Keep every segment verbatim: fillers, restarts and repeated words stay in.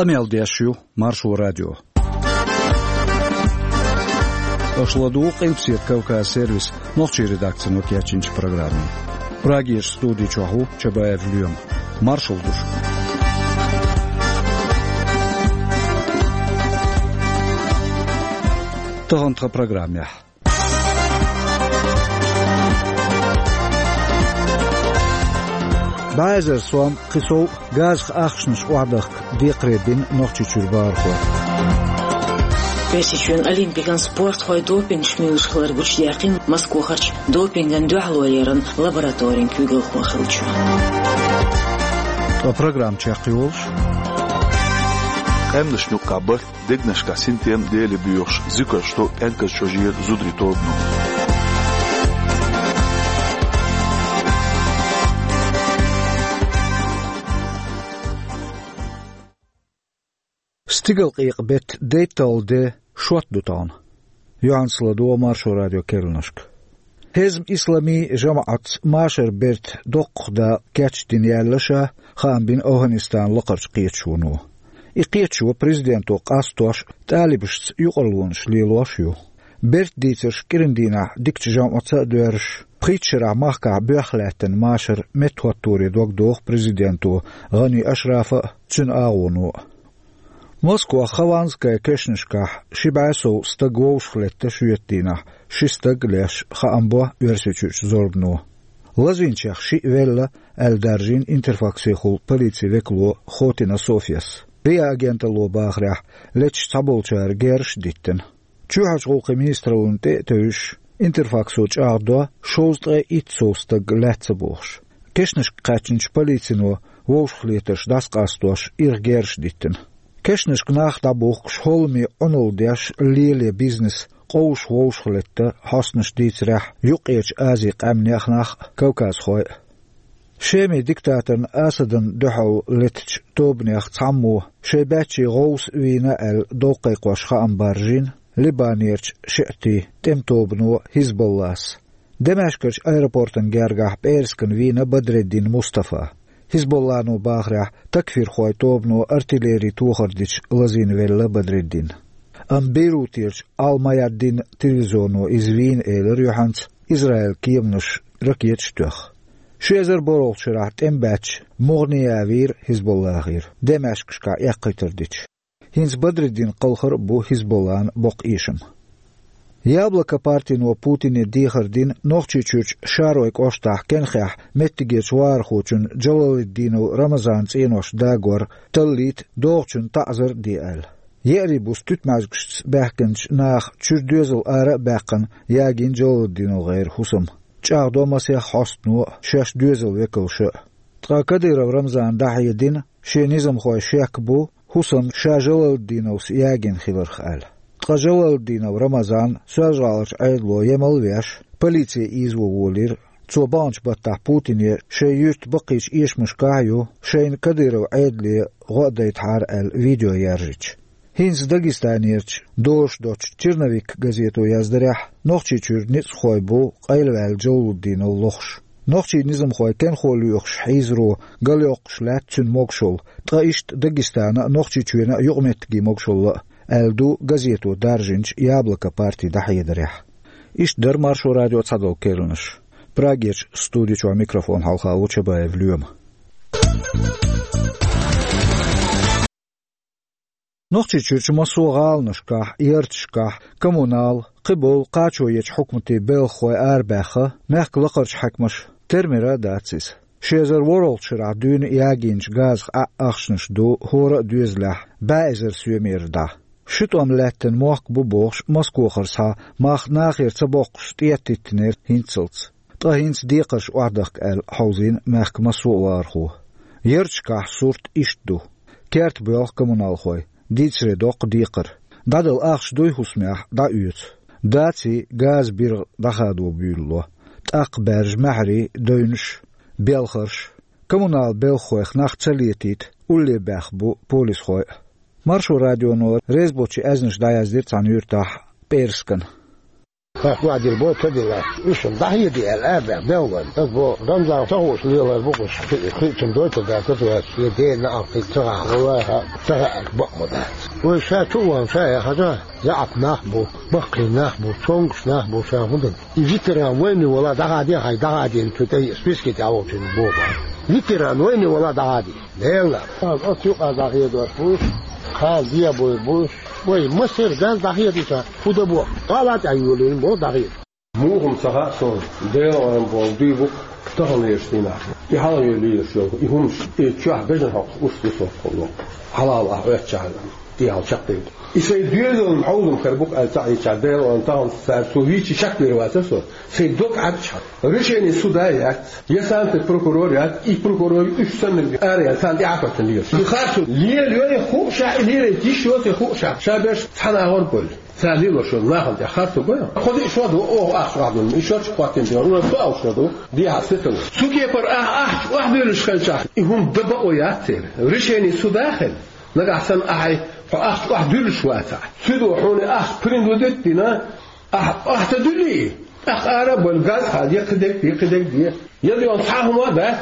Къамел деш ю Маршо радио. Аша ладугӀу Къилбаседа Кавказ сервисан нохчийн редакцино кечйинчу программе. Прагерчу студи чохь ву Чабаев Лоьма. Маршалла ду шуьга. Тахана тхан программехь. БӀе эзар сом, кхин сов газах ахчанаш охьадахка декхаре бина Нохчийчуьра бахархой. Оьрсийчоьнан олимпикан спортхой допингаш муьйлуш хилар гучудаьккхина Москвахарчу допингана дуьхьалонан лабораторин куьйгалхо хиллачо. Ткъа программа чекхйолуш. Къаьмнашна юккъехь барт, дегнашкахь синтем, Дела боьхуш, зуькарш тӀо кӀентан чӀожера зударийн тобано. Стигалкъекъа-беттан дейтталгӀа де шот ду тахана. Юьхьанца ладогӀа Маршо радион керланашка. Хьезб-Исламийн жамаӀатца машаран берта доккхах дакъа кечдина яьлла ша, хаам бина ОвхӀанистанан лакхарчу кхеташоно. И кхеташо президенто къастош а, талибашца юкъарлонаш лелош а ю. Берта дийцарш кӀиран дийнахь дикачу жамаӀатца а доьрзуш, пхийтта шарахь махкахь боьхна лаьттина машар меттахӀотторе дог доху президенто ГӀани Ашрафа а, цуьнан агӀоно а. Москвахь Хованская кешнашкахь ши бӀе сов стаг вовшахлетта шоьтан дийнахь, ши стаг а леш, хаам бо Оьрсийчуьрчу зорбано. Лазийначех шиъ велла, аьлла даржийна Интерфаксехула полицин векало Хотина Софьяс. РИА агенталло бахарехь, леташ цхьаболчара герзаш а диттина. Чоьхьарчу гӀуллакхийн министраллина тӀе а тевжаш, Интерфаксо чӀагӀдо, шовзткъе итт сов стаг лаьцна бохуш. Кешнашка кхаьчначу полицино вовшахлетарш дӀасакъастош ирх герзаш диттина. Кешнашка нах дӀабухкуш, хӀолламе Ӏуналла деш лело бизнес, къовсуш вовшахлетта, хьостанаша дийцарехь, Юккъерчу Азин къаьмнех нах а, кавказхой а. Шеман диктаторна Асадна дуьхьал летачу тобанех цхьаммо шайн баьччий гӀовса вийна аьлла дов кхайкхош хаам баржийна Либанерчу шиӀитийн тӀеман тобано ХӀизболлас. Дамаскарчу аэропортана гергахь пӀераскана вийна Бадреддин Мустафа. ХӀизболлано бахарехь, такфирхойн тобано артиллери тохар дича лазийна велла Бадреддин. Амма Бейрутерчу Ал-Майадин телевизионо иза вийна элира юьхьанца, Израилан кеманаша ракеташ а тоьхна. Ши эзар борхӀалгӀачу шарахь тӀеман баьчча МугӀния вийра ХӀизболлахера, Дамаскашкахь эккхийтар дича. ХӀинца Бадреддин кхалхар а бу ХӀизболлан боккха эшам. Яблоко партино Путине дехар дина Нохчийчуьрчу Шаройн кӀоштахь Кенхехь меттигерчу вахархочун Джалалетдинов Рамазанан цӀенош дагор таллийта догӀучунна таӀзар а де аьлла. Еарин буса туьтмӀаьжгашца баьхкинчу наха чуьра доьзал ара а баьккхина, ягийна ДжалалдиногӀеран хӀусам. ЧӀагӀдо масех хьостано а, шаьш доьзалан векалша а. Ткъа Кадыров Рамзана дӀахьедина, шен низамхойн шек бу хӀусам ша Жалалдиновс ягийна хиларх аьлла. Ткъа Жалалдинов Рамазан Соьлжа-ГӀаларчу Ӏедало емал а веш, полице ийзаво волийра. Цо баханчу баттахь Путине шайн юьртан баккхийчу эшамашкахь а ю, шайна Кадыров Ӏедале гӀо а дайтахьара аьлла видео яржича. ХӀинца Дагестанерчу дозуш доцучу «Черновик» газето яздарехь, Нохчийчуьра ницкъахой бу къайлаваьлла Джалалуддинов лохуш. Нохчийн низамхой кенхо лоьхуш хьийзаро галйоккхуш лаьтта цуьнан могушалла, ткъа иштта Дагестана а, Нохчийчоьнан а юкъаметтигийн могушалла а, аьлла ду газето даржинчу «Яблоко» партин дӀахьедарехь. Иштта дара Маршо радион цхьадолу керланаш. Прагерчу студи чохь микрофон хьалха ву Чабаев Лоьма. Нохчийчуьрчу массо а гӀаланашкахь, ярташкахь коммунал, кхиболу кхачо ечу хьукматийн белхахой арабаьхна, мехкан лакхарчу хьаькамаша тера-мера дац иза. Ши эзар ворхӀалгӀачу шарахь дуьйна ягийначу газах Ӏа ахчанаш ду хӀора а доьзалехь бӀе эзар соьмера дӀа. Ши тӀом лаьттина мохк бу бохуш, Москвахара схьа мах нахера ца боккхуш тӀетиттинера хӀинццалц. Ткъа хӀинца декхарш охьадахка аьлла хьовзийна мехкан массо а вахархо. Ярташкахь сурт иштта ду. Керта боьлху коммуналхой, дийцаре доккху декхар. ДӀадала ахча дуй хӀусамехь, дӀаоьцу. Даций, газан биргӀа дӀахадо буьйлало. ТӀаккха баьржа маьхьарий, девнаш, белхарш. Коммунал белхахойх нах ца летийта, улле баьхна бу полисхой а. Маршо радионо реза боцчу аьзнаш дӀаяздира цхьана юьртахь пӀераскана. Хас вадил бо ца дила. Уьш дӀахьеде аьлла, а баьхна, делла. Ас бо, Рамзан, ца хууш лелар бу уьш. Хи-, хи-, цун дой ца дац, ца дац, е дена ахти ца гӀа. Валлахьи, ца хаьа бакъ ма дац. Вай ша чу ван, ша яхача, яӀап нах бу, баккхий нах бу, цонгаш нах бу, ша хӀун дан. И ветеран войны вала дӀахьаде, хьай дӀахьаден цу тӀе списке тӀе волчун бо. Ветеран войны вала дӀахьаде. Делла. Оцу юкъа дӀахьедош бу, кхана де бой бу. Вай, масер газ дӀахьедича, худа бо. Къала тӀе йолийна бо дӀахьед. Мухам ца хаьа суна, Делан бо дуй бу, таханлераш дийнахь. И хьалхаве лелаш йолу, и хӀумаш, и чохь бежан хьокхуш, уьш, уьш хьокхуш. Хьалал ахь оьттачахьана, и хьал чекхдевлла. И сайн доьзалан хьовзам хир бу-кх аьлла ца Ӏийча, Делан тахана цара цо вийча шек вер вац со. Сайн дог Ӏаьрча, решение суда яц, я санкций прокурор яц, и прокурор уьш санна ара яц, царна тӀе Ӏа хӀоьттина лелаш. И харцо лелайой хууш, и лелайта йиш йоций хууш, ша берш цхьана агӀор болу. Цара лелош йолу нахана тӀехь харцо го. Кхо-диъ шо ду, оха ахча охьадуьллу, и шо чу хӀоттийна тӀе, уьш со ахча шо ду, дехьа сетал. Цу кепара ахьа ахча охьадуьллуш хилчахь, и хӀума дан бакъо яц церан. Решение суда хила. Нагахь санна ахьа хьо ахча охьадуьллуш вацахь, цуьдо хьуна ахча принудить дина, ахьа охьа ца дуьллий, тӀаккха ара а бан газ хьа де, кхидерг де, кхидерг де. Я дуьйна цхьа хӀума а дац,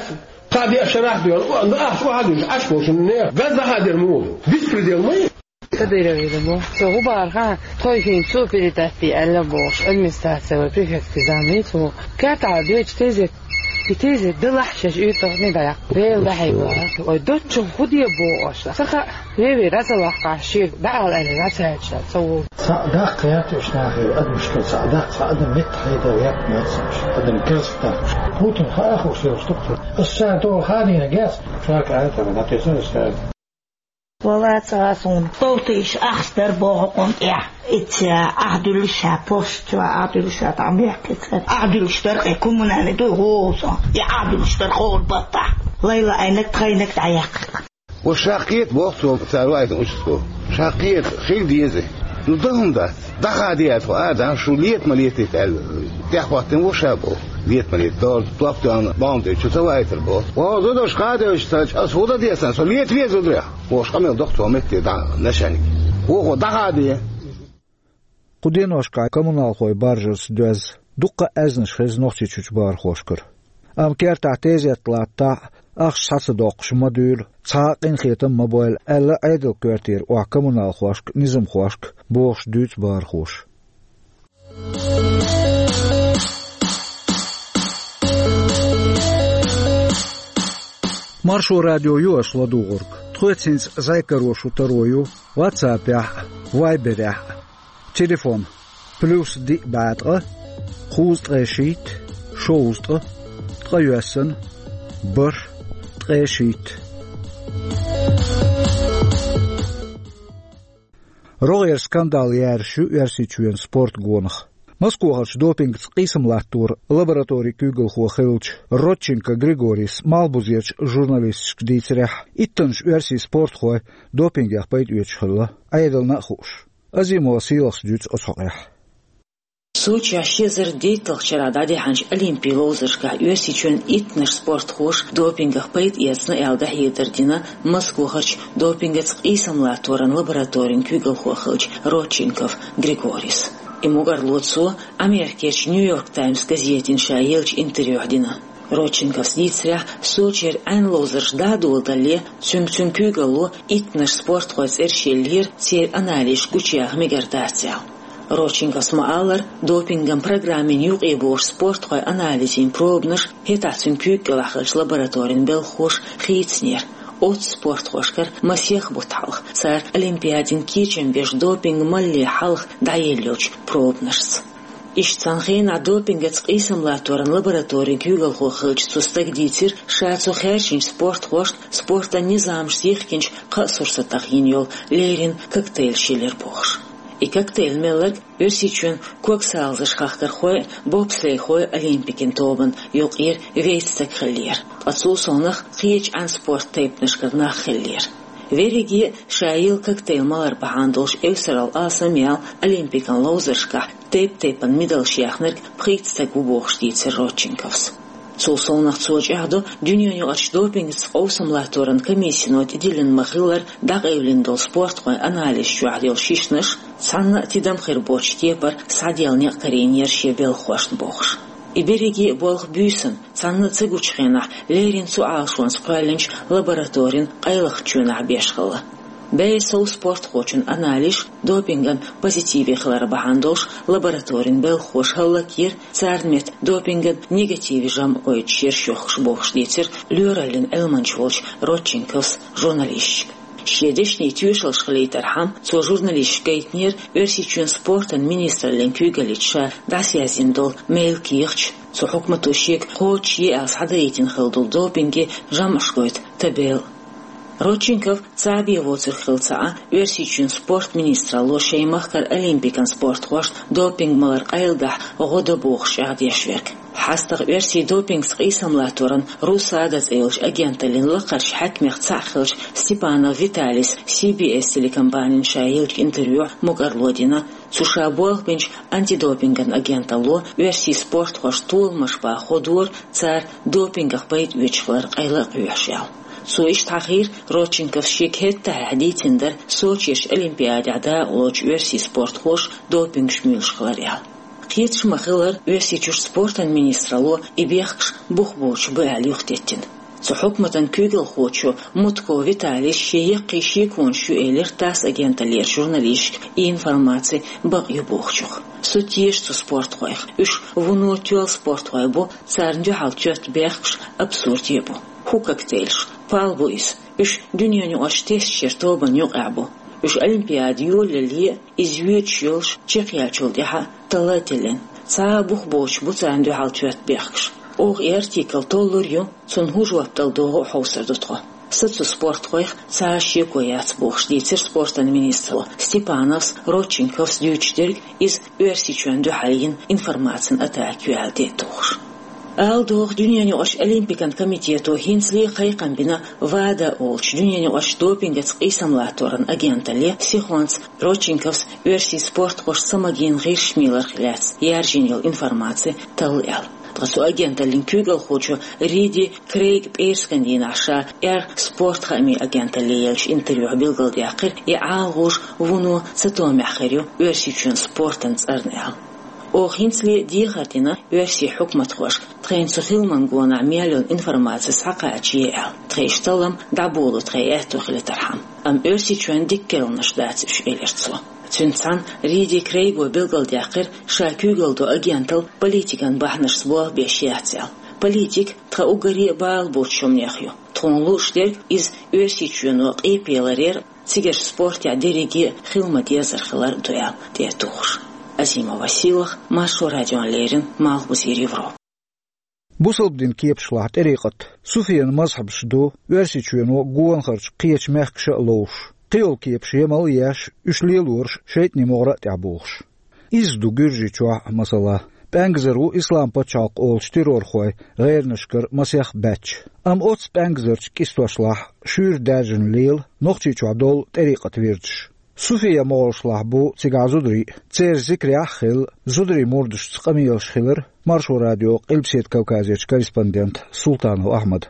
кхаа-деа шарахь дуьйна, о, ахча охьадуьллуш Ӏаш болчунна нехан газ дӀахьадер муха ду? Беспредел ма ю. Кадыров ву. Со хӀун бахара, тхойхин цо передать де аьлла бохуш, администраци вай префектки замий цо. Кертахь доьчу тезет, и тезет далахь шаьш уьйтагӀ не дӀаяккха. Вела дӀахьийла. Ой, доччух хӀун де боху аша? Ца хаьа, веве раза ваккхахь, шега дӀаала аьлла, дӀацаьрча ца волу. Цхьаъ даккха яц уьш нахе, адамашка цхьаъ даккха, цхьа адам меттахь хьедала яц нацаш, адам керста даккха. Путин хаа хууш йолуш ду-кх. Ас царна тӀе хадийна гес, ша кӀаьртара, дӀатесна ас царна. Вала ца суна. Бовтийша ахча дара боху хӀокхунна тӀехь. Ица ахьа дуьллуш ша, пошта ахьа дуьллуш ша, тӀе мехкица. Ахьа дуьллуш дара кхе, коммунальный дуй гӀо сан. И ахьа дуьллуш дара хӀора баттахь. Лайла айнак, тхайнак дӀаяьккхира. Ва ша кхета боху цо, цара ваийтина участковый. Ша кхета, хила деза. Ну, дан хӀума дац. ДӀахаде аьлла тхо, а, дан шу лета ма летийта аьлла. ТӀехӀоттина ву ша боху. Лета ма лета. Дора топ тоьхна, бахьана тӀе чу ца ваийтар боху. Ва, зударша хадевлча сан, ас хӀун дан деза сан, со лета веза зударехь. Вовш къамел доккху цо метте дӀа, начальник. Вохо дӀахаде. Кху деношкахь коммуналхой баржарца доьзна дуккха а аьзнаш хеза Нохчийчуьрчу бахархошкара. Амма кертахь тезет латтахь а, ахча схьа ца доккхуш ма дуьйлу, цхьа а къинхетам ма бойла, аьлла Ӏедалан коьртера охьа коммуналхошка, низамхошка, бохуш дуьйцу бахархоша. Маршо радио ю аша ладугӀург. Тхоьца хӀинца зӀе каро шун таро ю WhatsApp-ехь а, Viber-ехь а. Телефон: плюс диъ бӀе ткъа, кхузткъе шийтта, шовзткъа, ткъайоьсна, бархӀ, ткъе шийтта. РогӀера скандал яьржаш ю Оьрсийчоьнан спорт гонах. Москохарчу допингца къийсам латторан лабораторин куьйгалхо хиллачу Родченко Григорис Малхбузерчу журналисташка дийцарехь, иттаннаш оьрсийн спортхой допингех пайдаэцаш хилла, Ӏедална а хууш. Азимова Сийлахьас дуьйцу оцу хьокъехь. Сочехь ши эзар дейтталгӀачу шарахь дӀадихьначу Олимпийн ловзаршкахь Оьрсийчоьнан иттаннаш спортхоша допингах пайда эцна аьлла дӀахьедар дина Москохарчу допингаца къийсам латторан лабораторин куьйгалхо хиллачу Родченков Григорис. И мугӀарло цо Америкерчу Нью-Йорк Таймс газетина ша еллачу интервьюхь дина. Родченковс дийцарехь, Сочера Ӏаьнан ловзарш дӀа а доладале, цуьнга цуьнан куьйгалло иттаннаш спортхойн цӀераш еллера, церан анализаш гучуяха мегар дац аьлла. Родченковс ма-аллара, допинган программина юкъе богӀучу спортхойн анализийн пробанаш хӀетахь цуьнан куьйга кӀелахь хиллачу лабораторин белхахоша хийцинера. Оццу спортхошкара масех бутт хьалха, цара Олимпиадин кечам беш допинг малале хьалха дӀаелла йолчу пробанашца. Иштта цхьана хенахь допингаца къийсам латторан лабораторин куьйгалхо хиллачу цу стага дийцира, ша цо хаьржинчу спортхошка спортан низамашца йихкинчу кхаа сурсатах йина йолу леррина коктейлаш елира бохуш. И коктейл мелларг Оьрсийчоьнан когсалазаш хахкархой а, бобслейхой а Олимпикан тобанна юкъера вейтта стаг хиллера, ткъа цул совнаха кхечу Ӏаьнан спорт тайпанашкара нах хиллера. Верриге а ша елла коктейл малар бахьана долуш эвсарал алсам яьлла Олимпикан ловзаршкахь тайп-тайпана медалш яьхнарг пхийтта стаг ву бохуш дийцира Родченковс. Цул совнагӀа цо чӀагӀдо, дуьненаюкъарчу допингца къовсам латторан комиссино тӀедиллина ма-хиллара дӀакъевлина долу спортхойн анализ чохь йолу шишнаш, цхьанна а тидам хир боцчу кепара схьаделла некъ карийнера шен белхахошна бохуш. И берриге а болх буьйсанна, цхьанна а ца гучу хенахь, леррина цу Ӏалашонца кхоьллинчу лабораторин къайлахчу чоьнахь беш хилла. Беа сов спортхочун анализаш допинган позитиве хилар бахьана долуш лабораторин белхахоша хӀаллакйира, царна метта допинган негативе жамӀ гойтуш ерш йохкуш бохуш дийцира лоьраллин Ӏилманча волчу Родченковс журналисташка. Шен дешнийн тоьшаллаш хилийтархьама, цо журналисташка гайтинера Оьрсийчоьнан спортан министраллин куьйгаллица ша дӀасаяздина долу мел кехаташ, цу хьукмато шега кхочушъе аьлла схьадаийтина хилла долу допинге жамӀаш гойту табелла. Родченков цхьаъ бен воцург хилла ца Ӏа, Оьрсийчоьнан спорт министралло шайн махкара олимпикан спортхошна допинг малар къайладахь гӀо до бохуш чӀагӀдеш верг. ХьастагӀа оьрсийн допингца къийсам латторан РУСАДА цӀе йолчу агенталлин лакхарчу хьаькамех цхьаъ хиллачу Степанов Виталис Си Би Эс телекомпанина ша еллачу интервьюхь мукӀарло дина, цу ша болх бинчу антидопинган агенталло оьрсийн спортхошна толамаш бан хӀоттора, цара допингах пайда оьцуш хилар къайла а кхоьхьуш аьлла. Цо иштта хьахийра Родченковс шега хӀетахь дийцина дара Сочерчу Олимпиадехь дакъалоцучу оьрсийн спортхоша допингаш муьйлуш хилар аьлла. Кхеташ ма-хиллара, Оьрсийчуьра спортан министралло и бехкаш бух боцуш бу аьлла юхатеттина. Цу хьукматан куьйгалхочо Мутко Виталис шен яккхий шеконаш ю элира ТАСС агенталлера журналисташка, и информаци бакъ ю бохучух. Со теша цу спортхойх. Уьш вуно тоьлла спортхой бу, царна дуьхьал тоьтту бехкаш абсурде бу. ХӀун коктейльш, пал бу иза. Уьш дуьненаюкъарчу тестачеран тобанна юкъахь бу. Уьш Олимпиада йолале а, иза йоьдуш йолуш чекхъяьллачул тӀаьхьа а талла а тиллина. Цхьа а бух боцуш бу царна дуьхьал тоьтту бехкаш. Оха и артикл толлур ю, цунна хӀун жоп дала догӀу а хьовсур ду тхо. Сан цу спортхойх цхьа а шеко яц бохуш дийцира спортан министро. Степановс, Родченковс дуьйцуш дерг иза Оьрсийчоьнна дуьхьал йина информацин атака ю аьлла тӀе а тухуш. Ала догӀу, дуьненаюкъарчу Олимпикан комитето хӀинцале а кхайкхам бина ВАДА олучу дуьненаюкъарчу допингаца къийсам латторан агенталле сихонца Родченковс оьрсийн спортхошна ца магийна гӀирсаш мийларх лаьцна яьржина йолу информаци талла аьлла. Ткъа цу агенталлин куьйгалхочо Риди Крейга пӀераскан дийнахь ша эр спорт хаамийн агенталле еллачу интервьюхь билгалдаьккхира, и ӀалагӀуж вуно цатоьмехь хир ю Оьрсийчоьнан спортан цӀарна аьлла. Оха хӀинцале а дехар дина оьрсийн хьукматхошка, тхайна цу хиламан гонахь мел йолу информаци схьакхачае аьлла, тхайн иштта лам дӀаболо тхайн аьтто хилийтархьама. Амма Оьрсийчоьнна дика керланаш дац уьш, элира цо. Цуьнца цхьаьна Риди Крейго билгалдаьккхира, ша куьйгалла до агенталла политикан бахьанашца болх беш яц аьлла. Политика тхан уггаре а бала боцучу хӀуманех ю. Тхуна лууш дерг иза Оьрсийчоьно къепе ларъяр, цигарчу спортехь дерриге а хила ма-деззара хилар ду аьлла тӀе а тухуш. Азима Василах, Маршо радиона леррина, Малхбузера Европа. Бусалба дин кепашлахь тӀарикъат, суфиян мазхьабаш ду Оьрсийчоьно гонахарчу кхечу мехкаша а ловш. Кхийолу кепаш емал а еш, уьш лелораш шайтӀанийн могӀара а тӀехь бохуш. Иза ду Гуьржийчохь а, масала. ПӀаьнгазар ву Ислам пачхьалкх олучу террорхойн гӀернашкара масех баьчча. Амма оццу пӀаьнгазарчу кӀистошлахь шуьйра даьржина лела Нохчийчохь долу тӀарикъат вирдаш. Суфия могӀаршлахь бу цигахь зударий а, церан зикарехь а хилла, зударийн мурдашца къамелаш хилира Маршо радион Къилбаседа Кавказерчу корреспондента Султанов Ахьмада.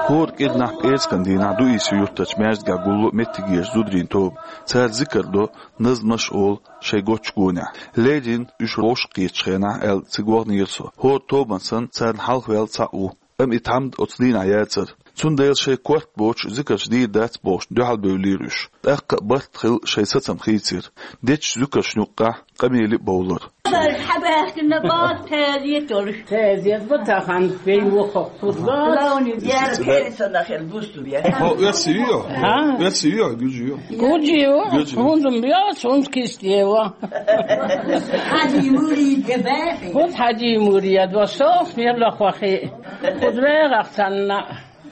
ХӀора кӀирнахь пӀераскан дийнахь Дуисов-Юртарчу маьждигехь гулло меттигерчу зударийн тоба. Цара зикар до, назмаш а олу шайн готтачу гонехь. Леррина уьш вовшах кхетачу хенахь аьлла цига ваханера со. ХӀора тобанна санна царна хьалхаваьлла цхьаъ ву. Амма и тхьамда оцу дийнахь яцара. Цундела шайн корта боцуш зикарш дийр дац бохуш дуьхьалбевллера уьш. ТӀаккха а барт хилла шайн сацам хийцира. Дечу зуькаршна юккъехь къамеле а бовлура. Хьабаьхкина боху, тезет йолуш. Тезет бу тахана, вай вухо. Лауни яра пересона хир бусту я. Хо, оьрси ю? А? Оьрси ю, гуьржи ю? Гуьржи ю. Гуьржи ю. ХӀунда ма йо, сунс кист ева. Хьади мури де бехи. Вот хьади мури я, два сох, мир лохвахи. Кудрегах санна.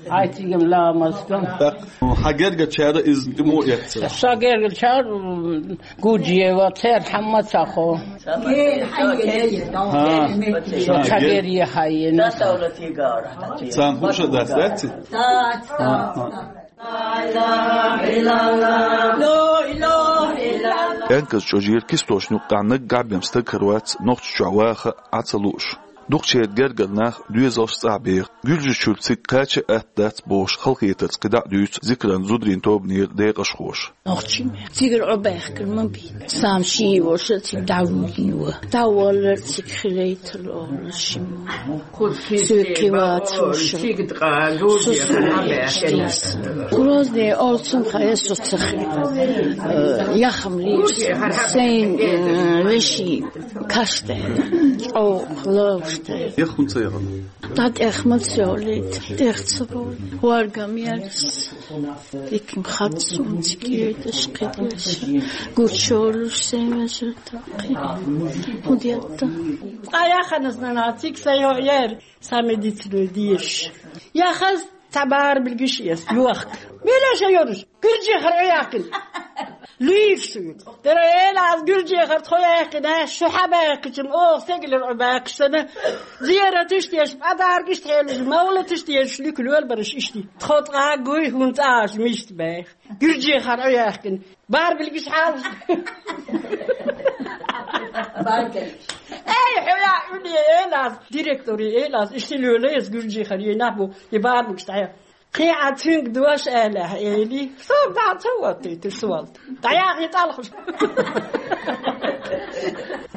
Ай, цигам ламаз кам. Так, хьан гергачара иза тӀе мо эццара? Сан гергачара, м, гуджиева, цер хьамма ца хо. Ха. Ца гер е хайена. Цан хуша дац, дац? Дац, дац, дац. Пенказ чӀожера кистошна юккъехь наггахь бен стаг хир вац Нохчийчохь ваха а, Ӏа ца лууш. Дукхачеран гергара нах доьзалш цӀахь беха. Гуьржийчуьра цига кхача а атта дац бохуш халахетарца кхидӀа а дуьйцу Зикаран зударийн тобанера декъашхоша. Нохчий ма. Цигара Ӏобаьхкина ма бий. Сам ший йоша цига дӀавуьйна ю. ДӀаваллар цига хилайтал олуш ма. Соьга кхин вацахь. Грозный олу цунах, я со ца хи-, э, яхам лийр. Сайн, э, вешин каш даьлла, чӀогӀа ловш даьлла. Яхана ца яхана? ДӀатӀех ма ца йолийта, тӀех ца бовлу. Варгам ярас. Диканиг хац суна цига кхеташ, кхеташ. Гучуйолуш сайн вежарий тӀаккхий. ХӀун детта? Цкъа яханас нана цига сан йоӀ яра, сан медицина дезаш. Яхаза цхьа бара билгиш эца, йохка. Мила ша йоруш? Гуьржехара Ӏу яьккхина. Луьйш шу ю. Дера эла аз Гуьржехара тхо яьккхина, шу хьан баьккхича, оха сегалара Ӏу баьккхича санна, зерат иштта еш, подарок иштта хьелуш, мовлат иштта еш, луька лоьла бараш иштта. Тхо цкъа гуй хӀунда цкъа аша мишта баьхна. Гуьржехара Ӏу яьккхина. Барбилгиш хьалха. Эй, хьо я, уьне, элас, директори элас, иштта лоьла эс Гуьржехара, е нах бу, и барбилгиш дӀа. Кхин а цуьнга дош аьллехь, эли, со дӀа ца ваттийта, со валта. ДӀаяхьа и тӀалхуш.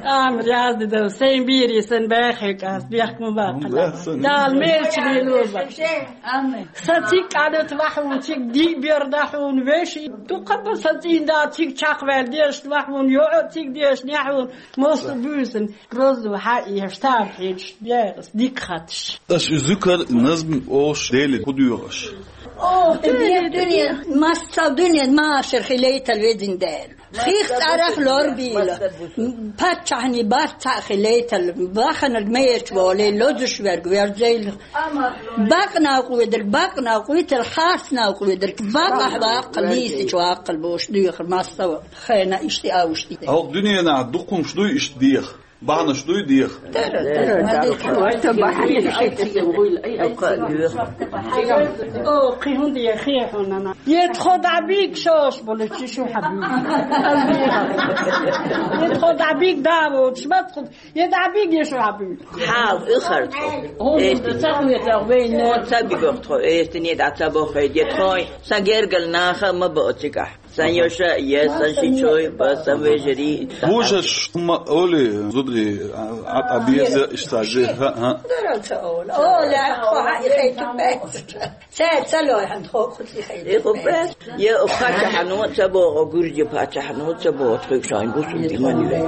Амр язди дав, сайн бийри сан баьхьа кӀас, бехк ма баккхала. Дала мелча лело баккхала. Амин. Сан цига къанат вахьун, цига дий бер дахьун, веший. Дукха ба сан цӀийна да цига чакхваьлла дешна вахьун, йоӀа цига дешна яхьун, мосту буьйсан, розу хьа еш, тар хьечаш, бегӀас, дика хаташ. Аша и зуькар назм ош Дели хӀу дуьйгӀаш? О, дуьне, дуьне, массал дуьне, машар хилейтал ведин Дела. Хих цӀарах лор бийла. Паччахьни барт цхьаъ хилейтал, баханарг меерч воле, лозуш верг верзейла. Бакъ накъведалг бакъ накъвитал, харц накъведалг бакъахь ваккхал, нийсачу ваккхал бош дуьйхар массал хена иштта а уьш ди. Хьох дуьненахь дукхумш дуй иштта деха? Бахьанаш дуй деха? Тара, тара, тара. О, кхин хӀунда я хехьунана? Е тхо дӀа бийг шош болу чи шу хьабийг. Е тхо дӀа бийг да воцуш, ма тхо, е дӀа бийг, е шу хьабийг. Хьал, уьхар тхо. Эсти. Ца хьуьйтагӀ вейна. Ца бигох тхо, эстине дӀа ца боххе, де тхой. Сан гергал наха ма бо цигахь. Сан йоша, я сан шичой, ба сан вежарий. Божаш ма оли, зудри, а, а, а, беза, иштази, ха, ха. Дара ца ола. Ола, хо, ха, и хай ту бе. Ца, ца лой, хан, хо, хо, и хай ту бе. Е, хо, бе. Е, хо, пача хано, ца бо, гуржи пача хано, ца бо, тхуй шайн гусун диман ве.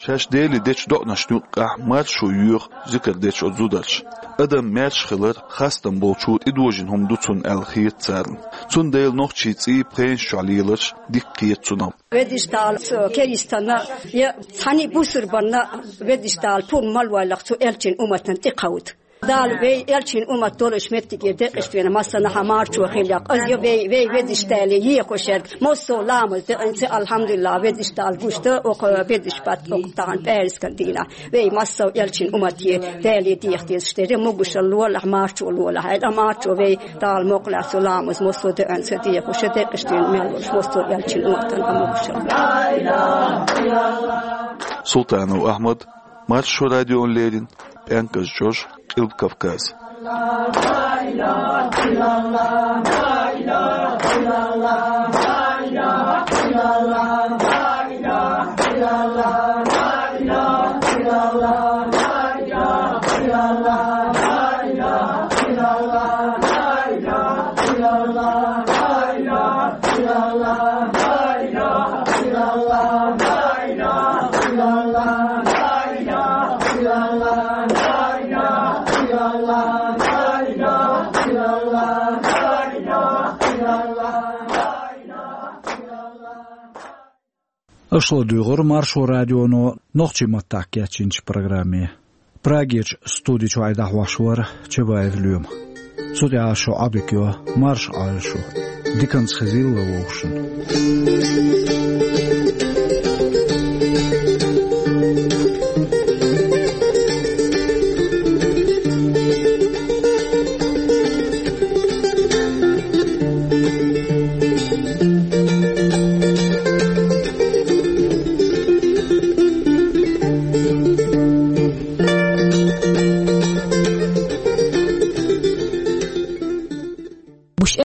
Шаьш Деле дечу доӀанашна юккъехь маршо йоьху зикар дечу оцу зударша. Адам маьрша хилар хастам болчо тӀедожийна хӀума ду цунна аьлла хета царна. Цундела нохчийн цӀий пхенаш чохь леларш дика кхета цунах. Веддиш Дала цу керистанна, я цхьаьний бусурбанна, Веддиш Дала пурба ма лойла цу элчан умматана тӀекховда. Дала вай элчин уммат долуш меттиге декъашвина массанхьа марчо хилла. Аз я вай, вай Веддиш Дале ехуш ерг. Массо ламаз деъинца, алхьамдулиллахь, Веддиш Дала гуш ду, оха Веддиш бат оха тахана пӀаьраскан дийнахь. Вай массо элчин уммате Дале деха дезаш дерг, могушалла лолахь, марчо лолахь. Айда марчо вай Дала мукъалахь цу ламаз массо деъинца дехуш, декъашвина мел волуш массо элчин умматана могушалла. Султанов Ахьмад, Маршо радиона леррина, ПӀенказ чӀож, Къилба Кавказ. Аша ладуьйгӀура Маршо радионо нохчийн маттахь кечйинчу программе. Прагерчу студи чохь и дӀахьош вара Чабаев Лоьма. Цу тӀехь ас шух Ӏодика йо, марша Ӏойла шу. Диканца хезийла вай вовшашна.